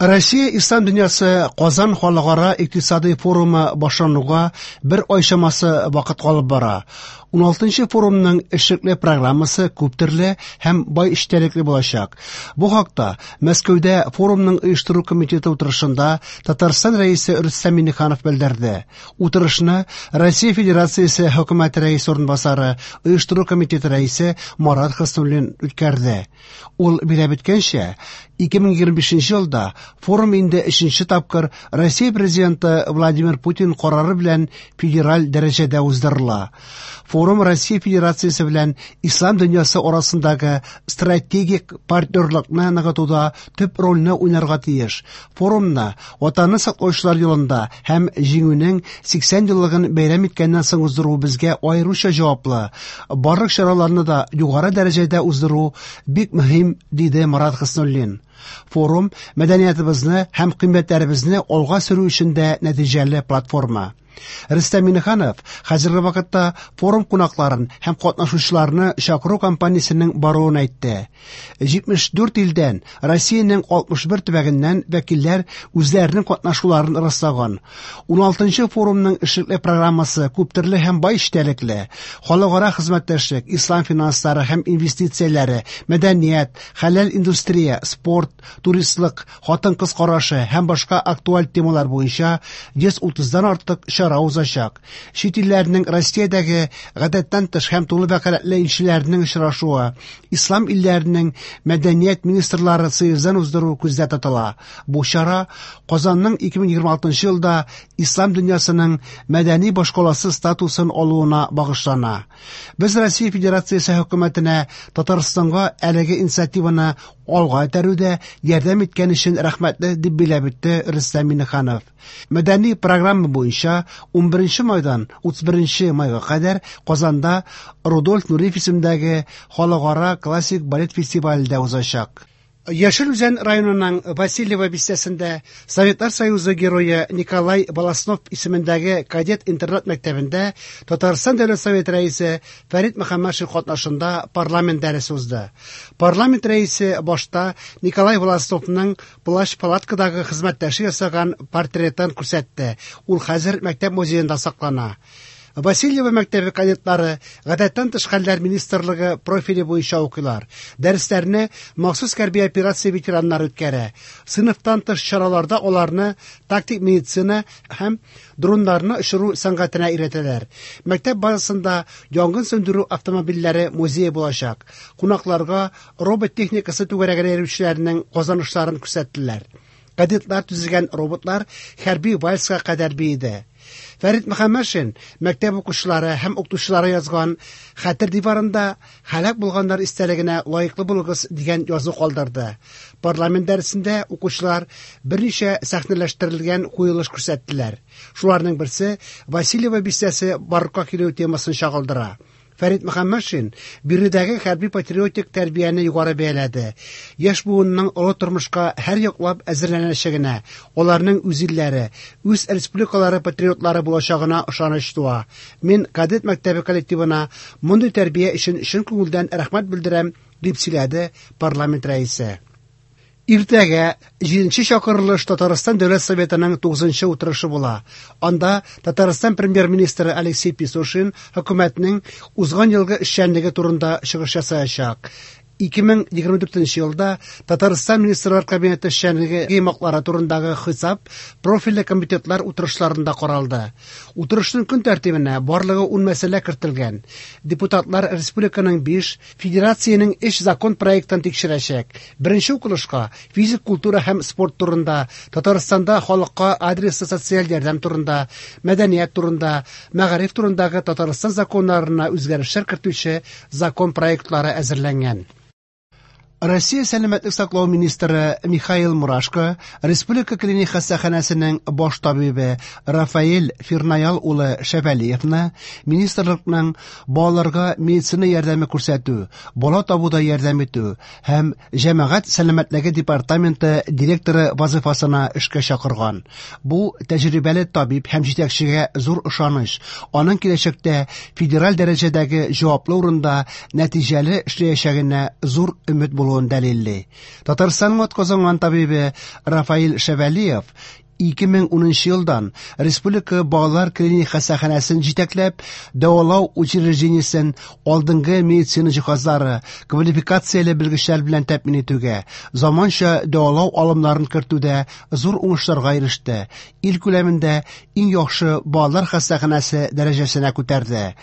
Россия Ислам дөньясы Казан халыкара икътисадый форумы башлануга бер ай чамасы вакыт калып бара. 16нчы форумның эшлекле программасы күптөрле һәм бай эчтәлекле булачак. Бу хакта Мәскәүдә форумның оештыру комитеты утырышында Татарстан Рәисе Рөстәм Миңнеханов белдерде. Утырышны Россия Федерациясе Хөкүмәте рәисе урынбасары, оештыру комитеты рәисе Марат Хөснуллин үткәрде. Ул билгеләп үткәнчә, 2025 елда форум инде өченче тапкыр Россия Президенты Владимир Путин карары белән федераль дәрәҗәдә уздырыла. Форум Россия Федерациясе белән Ислам дөньясы арасындагы стратегик партнерлыкны ныгытуда төп рольне уйнарга тиеш. Форумны Ватанны саклаучылар елында һәм Җиңүнең 80 еллыгын бәйрәм иткәннән соң уздыру безгә аеруча җаваплы. Барлык чараларны да югары дәрәҗәдә уздыру бик мөһим, диде Марат Хөснуллин. Форум мәдәниятыбызны һәм кыйммәтләребезне алга сөрү өчен дә нәтиҗәле платформа. Рөстәм Миңнеханов хәзерге вакытта форум кунакларын һәм катнашучыларны чакыру кампаниясенең баруын әйтте. 74 илдән, Россиянең 61 төбәгеннән вәкилләр үзләренең катнашуларын раслаган. 16нчы форумның эшлекле программасы күптөрле һәм бай эчтәлекле. Халыкара хезмәттәшлек, ислам финанслары һәм инвестицияләре, мәдәният, хәләл индустрия, спорт, туристлык, хатын-кыз карашы һәм башка актуаль темалар буенча 130-дан артык чара узачак. Чит илләрнең Россиядәге гадәттән тыш һәм тулы вәкаләтле илчеләренең очрашуы, ислам илләренең мәдәният министрлары съездын уздыру күздә тотыла. Бу чара Казанның 2026 елда ислам дөньясының мәдәни башкаласы статусын алуына багышлана. Без Россия Федерациясе хөкүмәтенә Татарстанга әлеге инициативаны алга этәрүдә ярдәм иткән өчен рәхмәтле, дип билгеләп үтте Рөстәм Миңнеханов. Мәдәни программа буенча 11 майдан 31 майга кадәр Казанда Рудольф Нуриев исемендәге халыкара классик балет фестивале дә узачак. Яшел Үзән районының Васильево бистәсендә Советлар Союзы Герое Николай Волостнов исемендәге кадет интернат мәктәбендә Татарстан Дәүләт Советы Рәисе Фәрит Мөхәммәтшин катнашында парламент дәресе узды. Парламент рәисе башта Николай Волостновның плащ-палаткадагы хезмәттәше ясаган портретын күрсәтте. Ул хәзер мәктәп музеенда саклана. Васильево мәктәбе кадетлары Гадәттән тыш хәлләр министрлыгы профиле буенча укыйлар. Дәресләрне махсус хәрби операция ветераннары үткәрә. Сыйныфтан тыш чараларда аларны тактик медицина һәм дроннарны очыру сәнгатенә өйрәтәләр. Мәктәп базасында янгын сүндерү автомобильләре музее булачак. Кунакларга робот техникасы түгәрәгенә йөрүчеләрнең казанышларын күрсәттеләр. Кадетлар төзегән роботлар хәрби вальска кадәр биеде. Фәрит Мөхәммәтшин мәктәп укучылары һәм укытучылары язган хәтер диварында һәлак булганнар истәлегенә лаеклы булыгыз дигән язу калдырды. Парламент дәресендә укучылар берничә сәхнәләштерелгән куелыш күрсәттеләр. Шуларның берсе Васильево бистәсе барлыкка килү темасын чагылдыра. Фәрит Мөхәммәтшин биредәге хәрби-патриотик тәрбияне югары бәяләде. Яшь буынның олы тормышка һәр яклап әзерләнәчәгенә, аларның үз илләре, үз республикалары патриотлары булачагына ышаныч туа. Мин кадет мәктәбе коллективына мондый тәрбия өчен чын күңелдән рәхмәт белдерәм, дип сөйләде парламент рәисе. Иртәгә җиденче чакырылыш Татарстан Дәүләт Советының тугызынчы утырышы була. Анда Татарстан Премьер-министры Алексей Песошин хөкүмәтнең узган елгы эшчәнлеге турында чыгыш ясаячак. 2024 елда Татарстан Министрлар Кабинеты эшчәнлеге йомгаклары турындагы хисап профильле комитетлар утырышларында каралды. Утырышның көн тәртибенә барлыгы 10 мәсьәлә кертелгән. Депутатлар республиканың 5, федерациянең 3 закон проектын тикшерәчәк. Беренче укылышка физик культура һәм спорт турында, Татарстанда халыкка адреслы социаль ярдәм турында, мәдәният турында, мәгариф турындагы Татарстан законнарына үзгәрешләр кертүче закон проектлары әзерләнгән. Россия сәламәтлек саклау министры Михаил Мурашко Республика клиник хастаханәсенең баш табибы Рафаэль Фирнаял улы Шәвәлиевны министрлыкның балаларга медицина ярдәме күрсәтү, бала табуда ярдәм итү һәм җәмәгать сәламәтлеге департаменты директоры вазыйфасына эшкә чакырган. Бу тәҗрибәле табиб һәм җитәкчегә зур ышаныч, аның киләчәктә федераль дәрәҗәдәге җаваплы урында нәтиҗәле эшләячәгенә зур өмет булуын булуын дәлилли. Татарстанның атказанган табибе Рафаил Шәвәлиев 2010 елдан Республика балалар клиник хастаханәсен җитәкләп, дәвалау учреждениесен алдынгы медицина җиһазлары, квалификацияле белгечләр белән тәэмин итүгә, заманча дәвалау алымнарын кертүдә зур уңышларга иреште. Ил күләмендә иң яхшы балалар хастаханәсе дәрәҗәсенә күтәрде.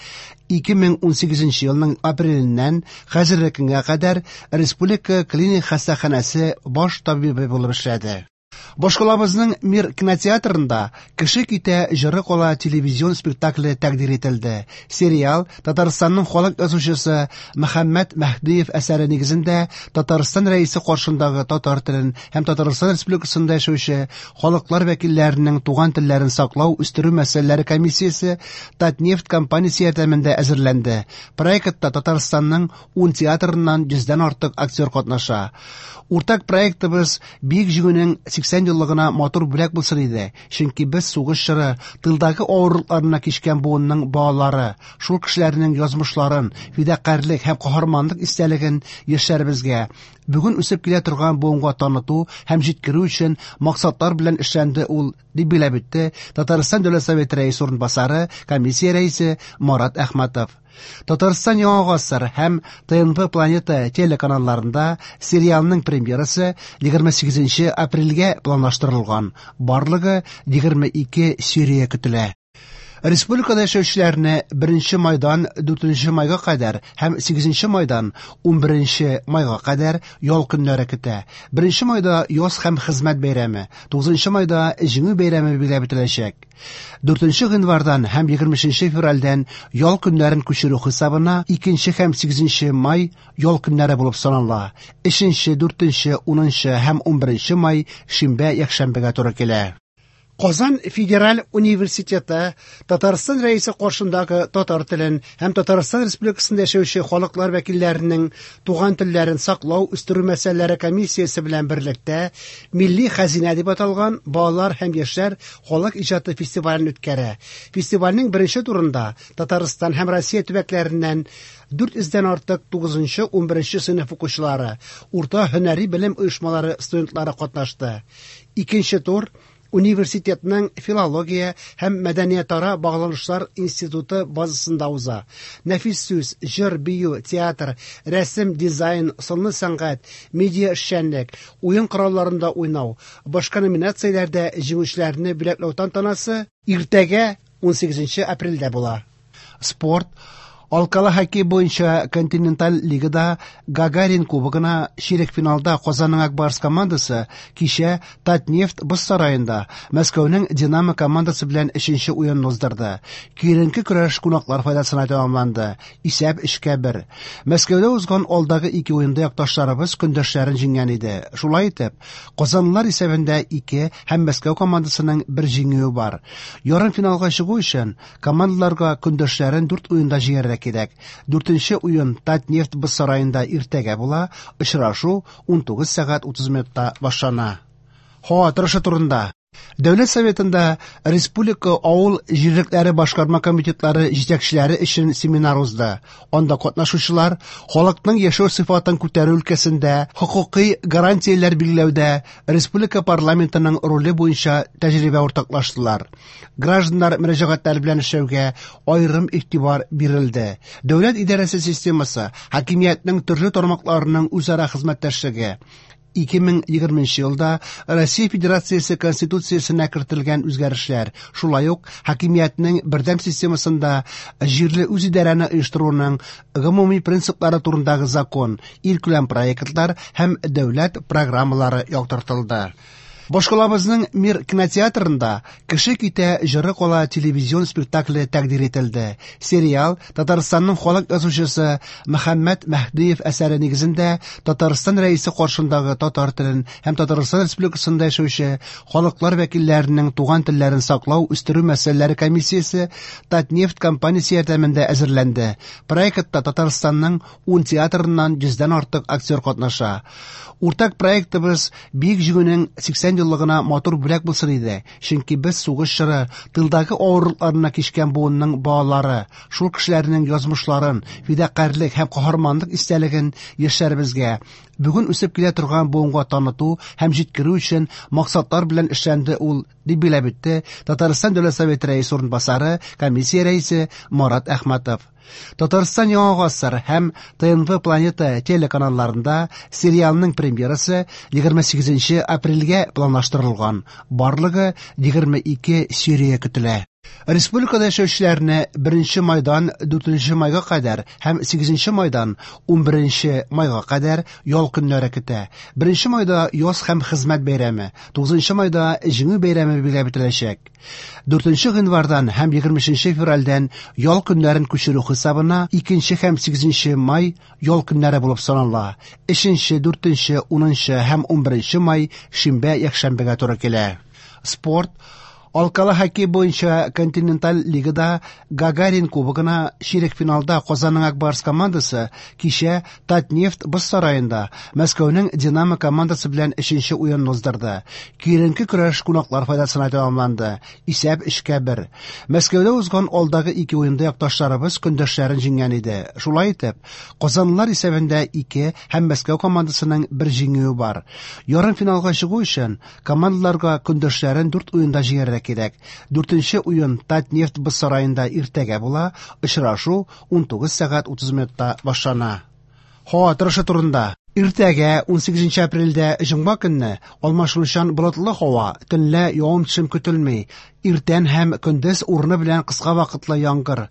2018 елның апреленнән хәзерге көнгә кадәр Республика клиник хастаханәсе баш табибы булып эшләде. Башкалабызның Мир кинотеатрында «Кеше китә, җыры кала» телевизион спектакле тәкъдир ителде. Сериал Татарстанның халык язучысы Мөхәммәт Мәһдиев әсәре нигезендә Татарстан Рәисе каршындагы татар телен һәм Татарстан Республикасында яшәүче халыклар вәкилләренең туган телләрен саклау, үстерү мәсьәләләре комиссиясе Татнефть компаниясе ярдәмендә әзерләнде. Проектта Татарстанның 10 театрыннан 100дән артык актер катнаша. Уртак проектыбыз Бөек Җиңүнең 80 еллыгына матур бүләк булсын иде, чөнки без сугыш чоры, тылдагы авырлыкларына кичкән буынның балалары, шул кешеләрнең язмышларын, фидакарьлек һәм каһарманлык истәлеген яшьләребезгә, бүген үсеп килә торган буынга таныту һәм җиткерү өчен максатлар белән эшләнде ул, дип билгеләп үтте Татарстан Дәүләт Советы рәисе урынбасары, комиссия рәисе Марат Әхмәтов. Татарстан Яңа гасыр һәм ТНВ Планета телеканалларында сериалның премьерасы 28 апрельгә планлаштырылган. Барлыгы 22 серия көтелә. Республикада яшәүчеләрне 1 майдан 4 майга кадәр һәм 8 майдан 11 майга кадәр ял көннәре көтә. 1 майда яз һәм хезмәт бәйрәме, 9 майда Җиңү бәйрәме билгеләп үтеләчәк. 4 гыйнвардан һәм 23 февральдән ял көннәрен күчерү хисабына 2 һәм 8 май ял көннәре булып санала. 3, 4, 10 һәм 11 май шимбә якшәмбегә туры килә. Казан федераль университеты Татарстан Рәисе каршындагы татар телен һәм Татарстан Республикасында яшәүче халыклар вәкилләренең туган телләрен саклау, үстерү мәсьәләләре комиссиясе белән берлектә Милли хәзинә дип аталган балалар һәм яшьләр халык иҗаты фестивален үткәрә. Фестивальнең беренче турында Татарстан һәм Россия төбәкләреннән 400дән артык 9-11 сыйныф укучылары, урта һөнәри белем оешмалары студентлары катнашты. Икенче тур университетның филология һәм мәдәниятара багланышлар институты базасында уза. Нәфис сүз, җыр, бию, театр, рәсем, дизайн, сынлы сәнгать, медиа эшчәнлек, уен коралларында уйнау, башка номинацияләрдә җиңүчеләрне бүләкләү тантанасы иртәгә 18 апрельдә була. Спорт. Алкалы хоккей буенча континенталь лигада Гагарин кубогына чирек финалда Казанның Ак Барс командасы кичә Татнефть боз сараенда Мәскәүнең Динамо командасы белән өченче уенны уздырды. Киеренке көрәш кунаклар файдасына тәмамланды. Исәп 3-1. Мәскәүдә узган алдагы ике уенда якташларыбыз көндәшләрен җиңгән иде. Шулай итеп, Казанлылар исәбендә 2 һәм Мәскәү командасының бер җиңүе бар. Ярымфиналга чыгу өчен командаларга көндәшләрен 4 уенда җиңәргә кирәк. 4нче уен Татнефть боз сараенда иртәгә була. Очрашу 19 сәгать 30 минутта башлана. Һава торышы турында. Дәүләт Советында Республика авыл җирлекләре башкарма комитетлары җитәкчеләре өчен семинар узды. Анда катнашучылар халыкның яшәү сыйфатын күтәрү өлкәсендә хокукый гарантияләр билгеләүдә республика парламентының роле буенча тәҗрибә уртаклаштылар. Гражданнар мөрәҗәгатьләре белән эшләүгә аерым игътибар бирелде. Дәүләт идарәсе системасы, хакимиятнең төрле тармакларының үзара хезмәттәшлеге, 2020 елда Россия Федерациясе Конституциясенә кертелгән үзгәрешләр, шулай ук хакимиятнең бердәм системасында җирле үзидарәне оештыруның гомуми принциплары турындагы закон, илкүләм проектлар һәм дәүләт программалары яктыртылды. Башкалабызның Мир кинотеатрында «Кеше китә, җыры кала» телевизион спектакле тәкъдир ителде. Сериал Татарстанның халык язучысы Мөхәммәт Мәһдиев әсәре нигезендә Татарстан Рәисе каршындагы татар телен һәм Татарстан Республикасында яшәүче халыклар вәкилләренең туган телләрен саклау, үстерү мәсьәләләре комиссиясе Татнефть компаниясе ярдәмендә әзерләнде. Проектта Татарстанның 10 театрыннан 100дән артык актер катнаша. Уртак проектыбыз Бөек Җиңүнең 80 еллыгына матур бүләк булсын иде, чөнки без сугыш чоры, тылдагы авырлыкларны кичкән буынның балалары, шул кешеләрнең язмышларын, фидакарьлек һәм каһарманлык истәлеген яшьләребезгә, бүген үсеп килә торган буынга таныту һәм җиткерү өчен максатлар белән эшләнде ул, дип билгеләп үтте Татарстан Дәүләт Советы рәисе урынбасары, комиссия рәисе Марат Әхмәтов. Татарстан Яңа гасыр һәм ТНВ Планета телеканалларында сериалның премьерасы 28 апрельгә планлаштырылган. Барлыгы 22 серия көтелә. Республикада яшәүчеләрне 1 майдан 4 майга кадәр һәм 8 майдан 11 майга кадәр ял көннәре көтә. 1 майда яз һәм хезмәт бәйрәме, 9 майда Җиңү бәйрәме билгеләп үтеләчәк. 4 гыйнвардан һәм 23 февральдән ял көннәрен күчерү хисабына 2 һәм 8 май ял көннәре булып санала. 3, 4, 10 һәм 11 май шимбә, якшәмбегә туры килә. Спорт. Алкалы хоккей буенча континенталь лигада Гагарин кубогына чирек финалда Казанның Ак Барс командасы кичә Татнефть боз сараенда Мәскәүнең Динамо командасы белән өченче уенын уздырды. Киеренке көрәш кунаклар файдасына тәмамланды. Исәп 3-1. Мәскәүдә узган алдагы ике уенда якташларыбыз көндәшләрен җиңгән иде. Шулай итеп, Казанлылар исәбендә 2 һәм Мәскәү командасының бер җиңүе бар. Ярымфиналга чыгу өчен командаларга көндәшләрен 4 уенда җиңәргә кирәк. 4нче уен Татнефть боз сараенда иртәгә була. Очрашу 19 сәгать 30 минутта башлана. Һава торышы турында. Иртәгә 18 апрельдә җомга көнне алмашынучан болытлы һава, төнлә явым-төшем көтелми. Иртән һәм көндез урыны белән кыска вакытлы яңгыр.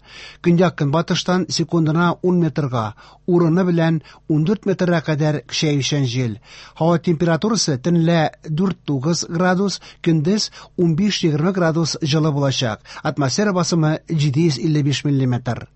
Көньяк-көнбатыштан секундына 10 метрга, урыны белән 14 метрга кадәр көчәючән җил. Һава температурасы төнлә 4-9 градус, көндез 15-20 градус җылы булачак. Атмосфера басымы 755 миллиметр.